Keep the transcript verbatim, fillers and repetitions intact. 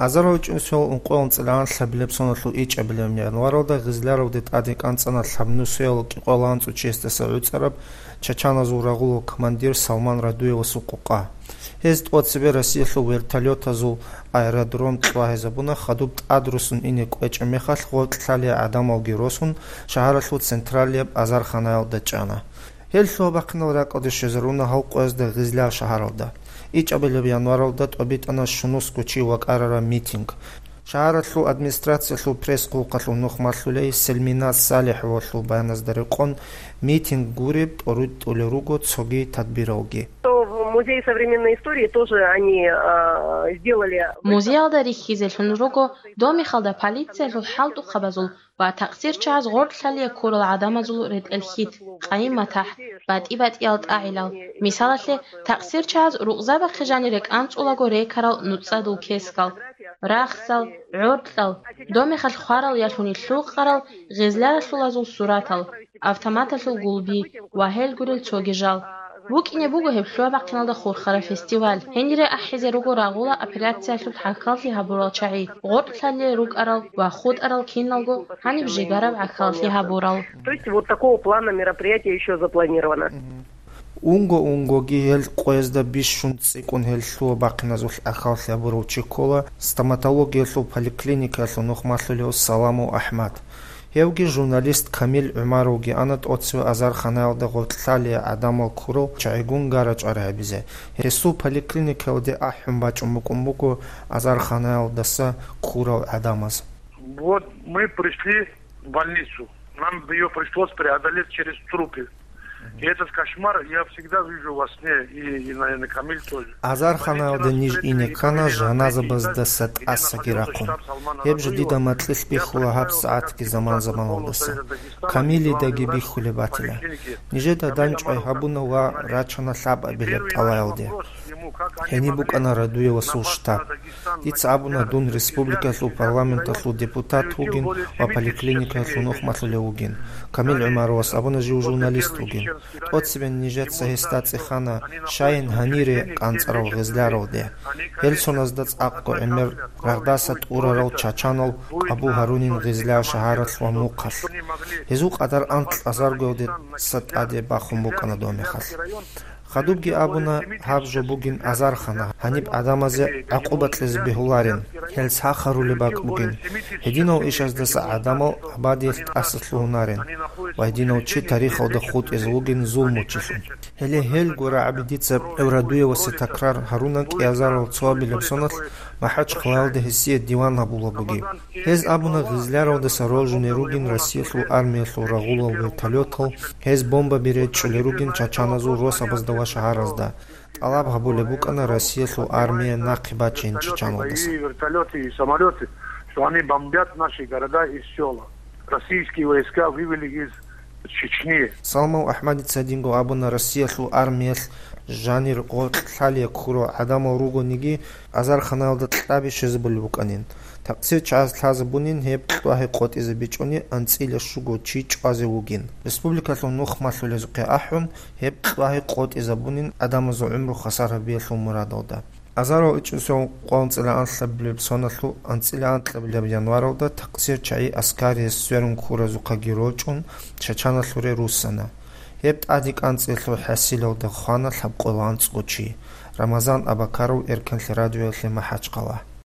Азаров чӀунсуял ункъоялда цӀилан лъабилеб соналъул ичӀабилеб январалда Гъизляралде тӀаде кӀанцӀана лъабнусуял кӀикъоялда анцӀго чиясдаса гӀуцӀараб чачаназул рагъулал командир Салман Радуевасул къокъа. Гьез тӀоцебе Россиялъул вертолетазул аэродром кьвагьизабуна, хадуб тӀадрусун ине кӀвечӀеб мехалъ гъоркь лъалел гӀадамалги росун, шагьаралъул централияб азарханаялда чӀана. Гьел лъугьа-бахъинал ракӀалде щвезаруна гьал къоязда Гъизляр шагьаралда. ИчӀабилеб январалда тӀобитӀана щунусго чи вакӀарараб митинг. Шагьаралъул администрациялъул пресс-хъулухъалъул нух малъулей Селмина СалихӀовалъул баяназда рекъон, митинг гуреб тӀоритӀулел руго цоги тадбиралги. То в Музее современной истории тоже они, а, сделали. Музеялда рихьизелъун руго, Домихалда полициялъул хӀалтӀухъабазул ва такъсирчагӀаз гъоркьлъалие ккурал гӀадамазул ретӀел-хьит, къайи-матахӀ, батӀи-батӀиял тӀагӀилал. Мисалалъе, такъсирчагӀаз рукъзабахъе жанире кӀанцӀулаго рекарал нуцӀцӀадул кескал, рахсал, гӀоркьал, домехалъ хварал ялъуни лъукъарал гъезляралъулазул суратал, автоматалъул гулби ва гьел гурел цоги жал. БукӀине буго гьеб лъугьа-бахъиналда хурхараб фестиваль. Гьенире ахӀизе руго рагъула операциялъул гӀахьаллъи гьабурал чагӀи, гъоркьлъалие рукӀарал ва хутӀарал киналго гьаниб жигараб гӀахьаллъи гьабурал. То есть вот такого плана мероприятие ещё запланировано. Унго-унгоги гьел къоязда бищун цӀикӀкӀун гьел лъугьа-бахъиназулъ гӀахьаллъи гьабурав чи ккола стоматологиялъул поликлиникаялъул нух малъулев Саламов АхӀмад. Гьевги журналист Камил ГӀумаровги ана тӀоцеве азарханаялда гъоркьлъалие гӀадамал ккурал чагӀигун гара-чӀвара гьабизе. Гьесул поликлиникаялде ахӀун бачӀун букӀун буго азарханаялдаса ккурал гӀадамаз. Вот мы пришли в больницу. Нам её пришлось преодолеть через трупы. И этот кошмар я всегда вижу во сне, и, и, наверное, Камиль тоже. Азарханаялда ниж ине ккана жаназабаздаса тӀасаги рахъун. Гьеб жо дида макьилъ бихьула гьаб сагӀатги заман-заманалдаса. Камилидаги бихьулеб батила. Нижеда дандчӀвай гьабуна ва рачана лъабабилеб тӀалаялде. Гьениб букӀана Радуевасул штаб. Дица абуна, дун республикаялъул парламенталъул депутат вугин ва поликлиникаялъул нух малъулев вугин. Камил ГӀумаровас абуна, жив журналист вугин. ТӀоцебе нижеца гьесда цӀехана, щайин гьанире кӀанцӀарав Гъезляралде. Гьел соназда цӀакъго гӀемер рагъдаса тӀурарал чачанал къабул гьарунин Гъезляр шагьаралъ ва мухъалъ. Гьезул къадар анкьазаргоялдаса тӀаде бахун букӀана доб мехалъ. Хадубги абуна, гьаб жо бугин азархана, гьаниб гӀадамазе гӀакъуба кьезе бегьуларин, гьел сахарулеб бакӀ бугин. Гьединал ишаздаса гӀадамал абадиялъ тӀаса лъугьунарин ва гьединав чи тарихалда хутӀизе вугин зулмучилъун. Гьеле гьелго рагӀаби дица Радуевасе такрар гьаруна кӀиазарал цоабилеб соналъ МахӀачхъалаялда гьесие диван гьабулеб бугеб. Гьез абуна, Гъизляралдаса рожуне ругин Россиялъул армиялъул рагъулал вертолетал, гьез бомбаби речӀчӀулел ругин чачаназул росабазда ва шагьаразда. ТӀалаб гьабулеб букӀана Россиялъул армия нахъе бачейин чачаналдаса. Вертолеты и самолеты, что они бомбят наши города и села. Российские войска вывели из Чечни. Салмав АхӀмадица гьединго абуна, Россиялъул армиялъ жанир гъоркь лъалие ккурал гӀадамал ругониги, азарханаялда кьаби щвезабулеб букӀанин. Такъсир чагӀаз лъазабунин гьеб кьвагьи къотӀизабичӀони анцӀила щуго чи чӀвазе вугин. Республикалъул нух малъулезухъе ахӀун, гьеб кьвагьи къотӀизабунин гӀадамазул гӀумру хвасар гьабиялъул мурадалда. Азаров ичӀусев къвалцӀила анлъабилеб соналъул анцӀила анкьабилеб январалда такъсир чагӀи аскарияс сверун ккуразухъаги рочӀун, чачаналъуре руссана. Гьеб тӀаде кӀанцӀиялъул хӀасилалда хвана лъабкъоялда анцӀго чи. Рамазан Абакаров, Эркенлъи радиоялъе, МахӀачхъала.